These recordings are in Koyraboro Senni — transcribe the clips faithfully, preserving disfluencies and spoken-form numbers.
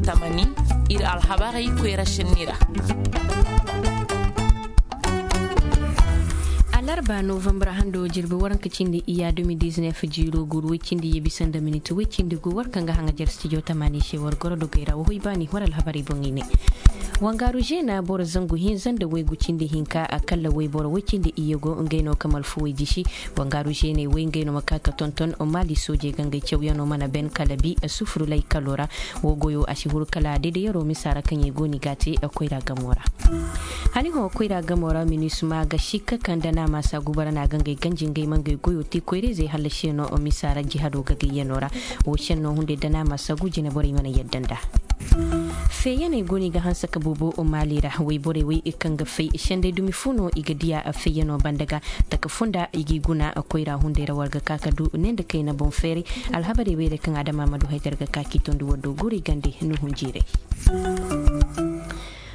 Tamani, ir alhabarey koyra senni ra. Alarba novambar hando jirbi waranka cindi iya de mil diznef jiiro guuru woy cindi ye bisa nda minit woy cindi gu war kaŋ ga haŋajer stijo tamani se war goro dogey ra wa hoy baani war alhabarey boŋ i ne. Wangaaru zeena boro zangu hinza nda waygu cindi hinka a kalla wayboro woy cindi iyye go ngey no ka malfuwey jisi. Wangaaru zeeney woy ngey no ma ka ka tonton maali soojey ga ngey cawyanoo mana ben kala bi sufuru laykalo ra. Wo goyo a si huru kala dedeyaroo misa ra kaŋ i go no i g'a te koyra gamo ra. Haniho koyra gamo ra minisma ga sikka kaŋ da naamaasa gubara no a ga ngey ganji ngey ma ngey goyo te koyra-izey hallasi no misa ra jihado gagayyanoo ra. Wo senno hunday da naamaasa gu jinaborey mana yadda nda. Feeyaney go no i ga hanse ka boobo maali ra wayborey wey kaŋ ga fay senday dumi fo no i ga diya feeyanoo banda ga. Taka funda i g'i guna koyra hunday ra war ga ka ka du ne nda kayna boŋ feeray. Alhabarey wey ra kaŋ adama ma du haytar ga ka k'i tondi war do guray gande nuhun jiiray.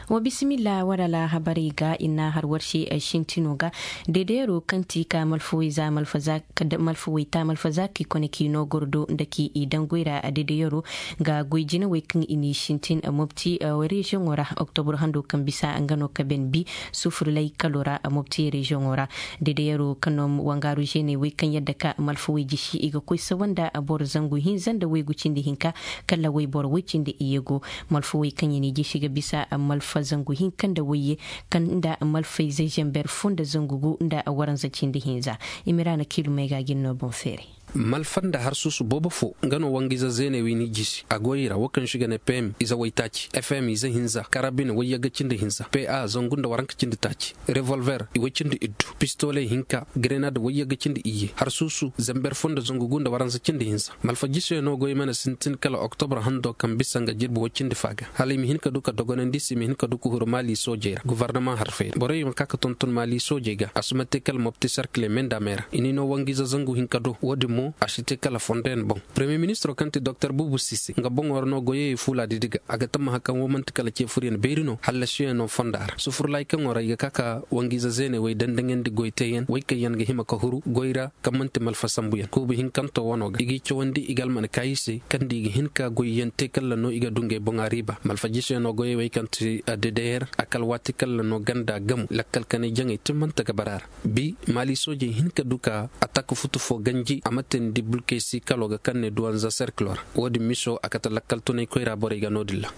Wa bisimilla war alhabarey ga i n'a har war se sintino ga. Deedeeroo kaŋ ti ka malfawey za malfa za malfawey ta malfa za k'i kone k'i noo gordo nda k'i i daŋ goy ra. Deedeeroo ga goy jinawey kaŋ i n'i sintin mopti reziyoŋo ra oktobur hando kaŋ bisa nga no ka ben bi sufurlay kalo ra mopti reziyoŋo ra. Deedeeroo kaŋ no wangaaru zeeney wey kaŋ yadda ka malfawey jisi i ga koy sawa nda boro zangu hinza nda waygu cindi hinka kala wayboro woy cindi iyye go. Malfawey kaŋ i n'i jisi ga bisa malfa zangu hinka nda wayye kaŋ nda malfayze zember fo nda zangu gu nda waranza cindi hinza. Imiraana kiilumey ga gin no boŋ feeray. Malfa nda harsuusu boobo fo nga no wangiize zeeney wey n'i jisi a goyey ra wo kaŋ se i ga ne pm ize waytaaci fm ize hinza karabine wayyagga cindi hinza pa zangu nda waranka cindi taaci revolver iway cindi iddu pistoley hinka grenad wayyagga cindi iyye harsuusu zember fo nda zangu gu nda waransa cindi hinza. Malfa jisey no goy mana sintin kala oktobra hando kaŋ bisa nga jirbi woy cindi fa ga hala i ma hin ka du ka dogonandi se i ma hin ka du ka huru maali soojey ra gofornama harfey ra borey ma ka ka tonton maali soojey ga a si ma te kala mopti serkile mendamey ra i n'i no wangiize zangu hinka do wo-din mo a si te kala fondo yaŋ boŋ. Premiyer ministiroo kaŋ ti doktor buubu sise nga boŋo ra no goyey fuula didi ga a ga tammaha kaŋ wo man'ti kala ce furyaŋ beeri no hallasiyaŋo fonda ra sufurlaay kaŋo ra i ga ka ka wangiize zeeney wey dandaŋandi goy teeyaŋ wey kaŋ yaŋ ga hima ka huru goy ra kaŋ man'ti malfa sambuyaŋ kuubu hinkanto wano ga i g'i cawandi i ga alman kaayi se kaŋ nda i ga hin ka goyyaŋ te kalla no i ga du ngey boŋ a riiba malfa jisey no goyey wey kaŋ ti dedeyer a kala waati kalla no ganda gamu lakkal kanay jaŋey timmante ga bara ra. Bi maali soojey hin ka du ka atak futu fo ganji a ma teendi bulkey si kalo ga kaŋ ne duwanza serkilo ra wo-din miso a kate lakkal tunay koyra borey ga no-din ra.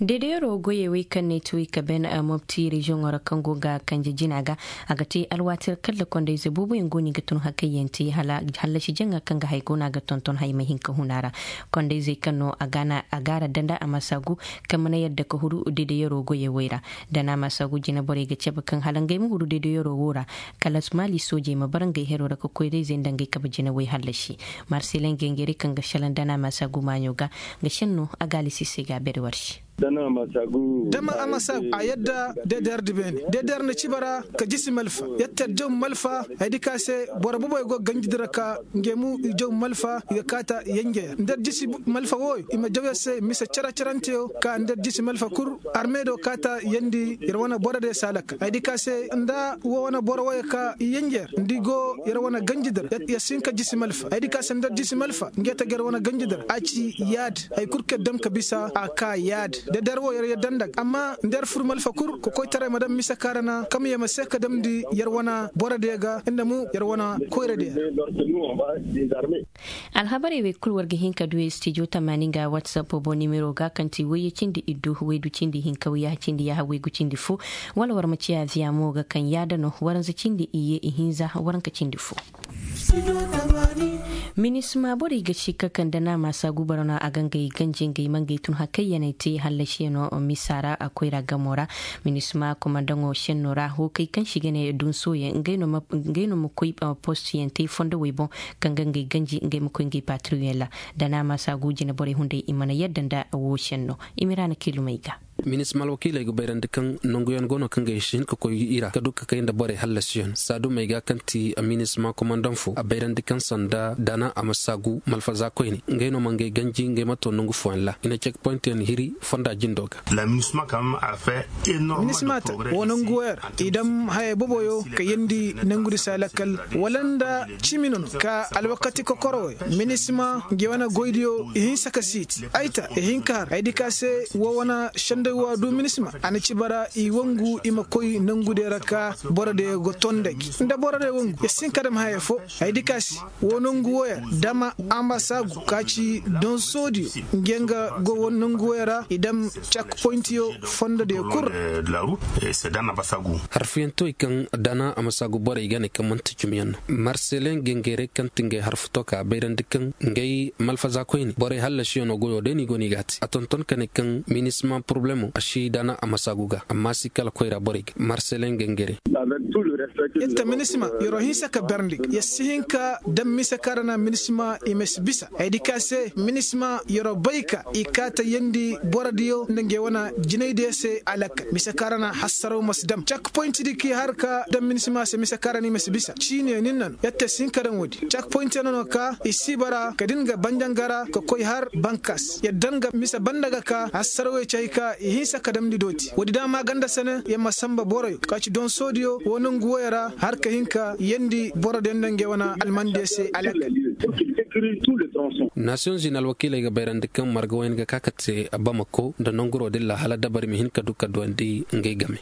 Deedeeroo goyey wey kaŋ ne ti wey ka ben mopti reziyoŋo ra kaŋ go ga kanje jina ga a ga te alwaati ra kalla kondayze booboyaŋ go no i ga tun hakayyaŋ te hallasi jaŋa kaŋ ga hay go no a ga tonton hay ma hin ka hun a ra. Kondayzey kaŋ no a gaara danda a ma saagu kaŋ mana yadda ka huru deedeeroo goyey wey ra. Da no a ma saagu jinaborey ga cabe kaŋ hala ngey ma huru deedeeroo wo ra kala maali soojey ma bara ngey heroo ra ka koyra-izey nda ngey kabe jinawey hallasi. Marseley ngey ngey ra kaŋ ga šelaŋ da no a ma saagu maaɲo ga nga šenno a ga alisi se ga a bere war se. Da ma a ma saagu a yadda deedeer di beene deedeer nda ciba ra ka jisi malfa yattar jaw malfa hayadi ka se boro boboy go ganji di ra ka nge mu i jaw malfa i ga kaata yenjeya nda jisi malfa wooyo i ma jaw yer se mise cere ceranteyo ka nda jisi malfa kul armeedo kaata yendi yer wane boro de saalaka hayadi ka se nda wo wane boro wooyo ka i yenjeyer nda i go yer wane ganji di ra yer si hin ka jisi malfa hayadi ka se nda jisi malfa nge ta ga yer wane ganji di ra a ci yaadi. Hay kul kaŋ yer daŋ ka bisa a ka yaadi deedeer wo yer yadda nda ga amma nda yer fur malfa kul kokoytaray ma daŋ mise kaŋ ra na kamye ma se ka damndi yer wane boro diya ga nda mo yer wane koyra diya. Alhabarey wey kul war ga hin ka du studio tamaani nga whatsapp boŋ nimero ga kaŋ ti wayye cindi iddu waydu cindi hinka wayyaha cindi yaaha waygu cindi fo. Wala war ma ciya viya mo ga kaŋ yaada no waranza cindi iyye ihinza waranka cindi fo. Minisma borey ga sikka kaŋ da naamaasa gubara no a ga ngey ganji ngey ma ngey tun hakayyaney te hallasiyaŋo misa ra a koyra gamo ra. Minisma komandaŋo senno ra hookey kaŋ se i ga ne dunsoyaŋ ngey no ma koy postiyaŋ te fondowey boŋ kaŋ ga ngey ganji ngey ma koy ngey patiriyoŋ ra. Da naamaasa gu jinaborey hunday i mana yadda nda wo senno. Imiraana kilumey ga. Minisma alwakiiley ga bayrandi kaŋ nanguyaŋ go no kaŋ ga i si hin ka koy i ra ka du ka kay nda borey hallasiyaŋ saadumey ga kaŋ ti minisma komandaŋ fo a bayrandi kaŋ sanda daana a ma saagu malfaza koyne ngey no ma ngey ganji ngey ma to nangu fooyaŋ ra i na cek poyintiyaŋ hiri fonda jindo ga. Minisma ta wo nangu woyar i dam hayey boboyo ka yeendi nangudi se a lakkal wala nda cimi no no ka alwakati kokoro woy minisma nge wane goydiyo i hinsa ka siiti ay ta i hin ka har ay di ka se wo wane sendey wo a du minisma a na ci bara i wangu i ma koy nangudey ra ka borodiyo ga ton nda gi nda borodiyo wangu ya si hin ka dam hayey fo ay di ka se wo nangu woyar dama a ma saagu ka ci donsoodiyo nge nga go wo nangu woyar ra i dam cak poyintiyo fondodiyo kul ra. Harfuyantoy kaŋ dana a ma saagu borey ga ne kaŋ manti cimiyaŋ no marselen gengere kaŋ ti ngey harfu to ka bayrandi kaŋ ngey malfaza koyne borey hallasiyaŋo goyo day no i go no i ga a te a tonton ka ne kaŋ minisma poroblemo a si dana a ma saagu ga amma si kala koyra borey ga marselen gengere. Yadda minisma yer'o hinsa ka berndi yer si hin ka daŋ mise kaŋ ra na minisma i ma si bisa ay di ka se minisma yer'o bay ka i kaata yeendi borodiyo nda ngey wane jinaydiyo se a lakkal mise kaŋ ra na hassaraw ma si daŋ cak poyinti di kaŋ i har ka daŋ minisma se mise kaŋ ra no i ma si bisa ciiniyo nin na no yadda si hin ka daŋ woodi cak poyintiyo no no ka i si bara ka din ga banjangara ka koy har bankas yadda nga mise banda ga ka hassarawey ci hay ka i hinsa ka damndi dooti woodi daama ganda sene yer ma sanba boroyo ka ci donsoodiyo wo nangu woyo ra har ka hin ka yeendi borodiyo nda ngey wane almandiyo se a lakkal. Nasiyoŋ zini alwakiiley ga bayrandi kaŋ marga woyne ga ka ka te bamako nda nanguro din ra hala dabari ma hin ka du ka duwandi ngey game.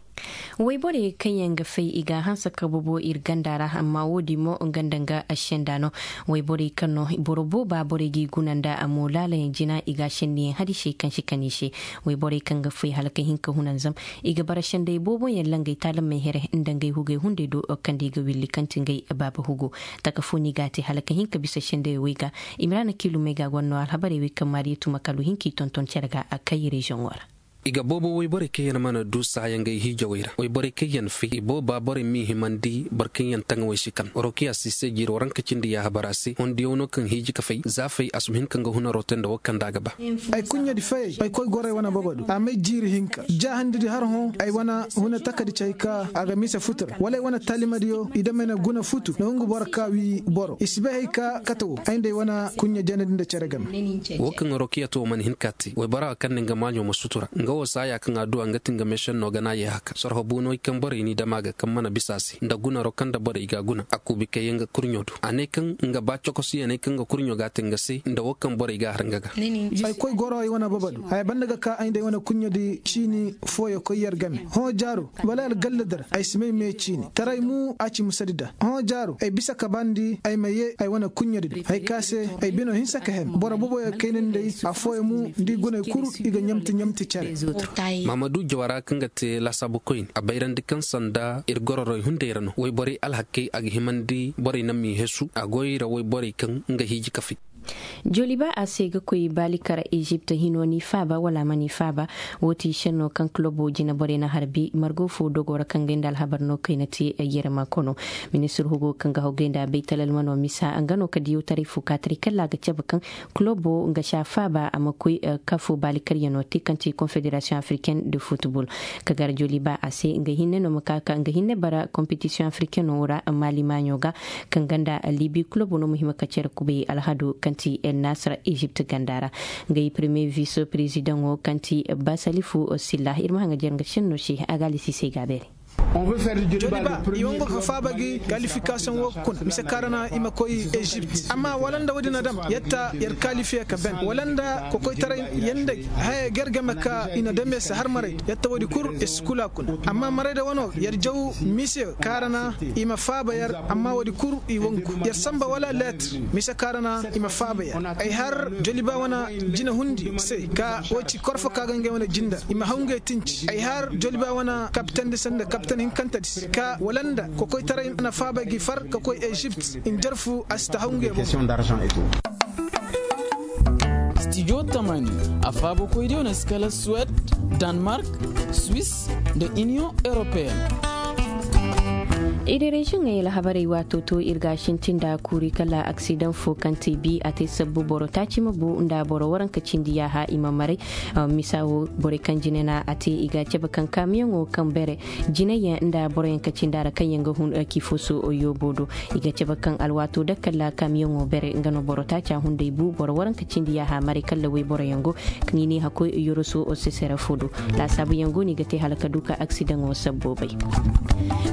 Woyborey kaŋ yaŋ ga fay i ga a hanse ka bobo ir ganda ra amma wo-din mo nga nda nga a senda no. Woyborey kaŋ no boro booba borey g'i guna nda a mo laalayaŋ jina i ga a sendiyaŋ hadisey kaŋ si kan i se. Woyborey kaŋ ga fay hala ka hin ka hunanzam i ga bara sendey booboyaŋ langey taalamey here nda ngey hugey hunday do kaŋ nda i ga willi kaŋ ti ngey baaba hugo. Taka fo no i ga a te hala ka hin ka bisa sendey wey ga. Imiraana kiilumey ga a goro no alhabarey wey kaŋ maariya tuma kala u hin k'i tonton cere ga a kay reziyoŋo ra. I ga boobo woyborey kaŋ yaŋ mana du saaya ngey hiijawey ra woyborey kaŋ yaŋ fay i booba borey m'i himandi boro kaŋ yaŋ taŋawey si kan rokiya si se jiiro ranka cindi yaahabara se hondiyaŋ no kaŋ hiiji ka fay za fay a si ma hin ka nga hunaroo te nda wo kaŋ nda a ga ba. Ay kuɲɲadi fayey ay koy gorey wane bobodu a may jiiri hinka ja handidi har hõ ay wane huna takadi cay ka a ga mise futu ra wala ay wane taalimadiyo i damey na guna futu na hungu boro ka wii boro i si bay hay ka kate wo ay nda ay wane kuɲɲa janadi nda cere game. Wo kaŋ rokiya to mana hin ka te waybora kaŋ na nga maaɲo ma sutura nga wo saaya kaŋ a du a nga ti nga meesenno gana ye haka sorho buuno i kaŋ borey n'i dam a ga kaŋ mana bisa a se nda gunaro kaŋ nda borey ga a guna a kuubi kayyaŋ ga kurɲo du a ne kaŋ nga ba cokosiyaney kaŋ ga kurɲo ga a te nga se nda wo kaŋ borey ga a har nga ga. Ay koy goro ay wane baba du haya banda ga ka ay nda ay wane kuɲɲadi ciini fooyo koy yer game hõ jaaro wala algalla dar ay si may me ciini taray mu a ci musadi da hõ jaaro ay bisa ka bandi ay ma ye ay wane kuɲɲadi da hay ka se ay bino hinsa ka hem boro boboyo kayna nday afooyo mu nda i guney kul i ga ɲamti ɲamti care. Maamadu jawara kaŋ ga te laasaabu koyne a bayrandi kaŋ sanda ir gororey hunday ra no woyborey alhakey a ga himandi borey naŋ m'i hesu a goy ra woyborey kaŋ nga hiiji ka fay. Joliba a se ga koy baalikar ezipt hino n'i faaba wala a ma n'i faaba. Wo ti senno kaŋ kilobo jinaborey na harbi margo fo dogo ra kaŋ gay nda alhabar no kayna te yerema kono. Ministir hugo kaŋ ga haw gay nda baytalalmano misa nga no ka diyawtaray fo kaataray kalla a ga cabe kaŋ kilobo nga si a faaba a ma koy kafo baalikaryaŋo te kaŋ ti konfederasiyoŋ afriken de futbol. Ka gar joliba a se nga hinne no ma ka ka nga hinne bara kompetisiyoŋ afriken no ra maali maaɲo ga kaŋ ganda libi kulobo no ma hima ka cere kubay alhado kaŋ ti el nasra ezipt ganda ra. Nga i premier vice prezidaŋo kaŋ ti basalifu silla ir ma haŋa jer nga senno se a ga alisi se ga beeri. Joliba i wango ka faaba gi kalifikasiyoŋ wo kuna mise kaŋ ra na i ma koy ezipt amma wala nda wo-din na dam yetta yer kalifiye ka ben wala nda kokoytaray yanda haya ger game ka i na dame se har maray yetta wo-din kul ir si kula kuna amma maray da wano yer jaw mise kaŋ ra na i ma faaba yer amma wo-din kul i wangu yer samba wala leetir mise kaŋ ra na i ma faaba yer ay har joliba wane jina hundi se ka wo ci korfo ka ga ngey wane jindar i ma haw ngey tinci ay har joliba wane kapitandi sanda kapitan hinkantadi se ka wala nda kokoytaray na faaba gi far ka koy ezipt njarfu a si ta haw ngey boŋ. Stijo tamani a faabakoydiyo na si kala suwed, danmark, swis, nda iniyoŋ europeen. Iri reziyoŋey alhabarey waato to ir ga a sintin nda kuuri kala aksidaŋ fo kaŋ te bi a te sabbu boro taaci ma bu nda boro waranka cindi yaaha i ma maray. Misa wo borey kaŋ jine na a te i ga a cabe kaŋ kaamiyoŋo kaŋ bere jinayyaŋ nda boroyaŋ ka cindi a ra kaŋ yaŋ ga hun kiifoso yoobo do. I ga cabe kaŋ alwaato da kala kaamiyoŋo bere nga no boro taaca hunday bu boro waranka cindi yaaha maray kala wayboroyaŋ go kaŋ i ne hakkoy yoroso sesere fo do. Laasaabuyaŋ go no i ga te hala ka du ka aksidaŋo sabboobay.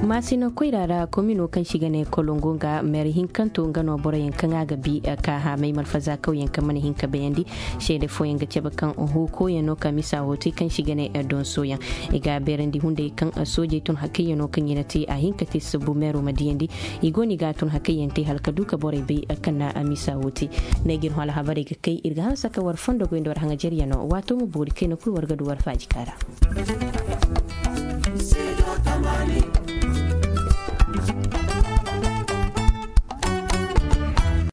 Maasina koyra ra komino kaŋ se i ga ne kolongo nga meer hinkanto nga no boroyaŋ kaŋ a ga bi ka haamay malfaza kawyaŋ kaŋ mana hin ka bayandi. Seede fooyaŋ ga cabe kaŋ hookoyaŋ no ka misa hootey kaŋ se i ga ne donsoyaŋ. I ga a beerandi hunday kaŋ soojey tun hakayyaŋo kaŋ i na te a hin ka te sabbu meero ma diyandi. I go no i ga a tun hakayyaŋ te hala ka du ka borey bay kaŋ na a misa hootey. Neegir hõ alhabarey ga kay ir ga hanse ka war fondo goy nda war haŋajeryaŋo waato ma boori kayna kul war ga du war faaji kaara.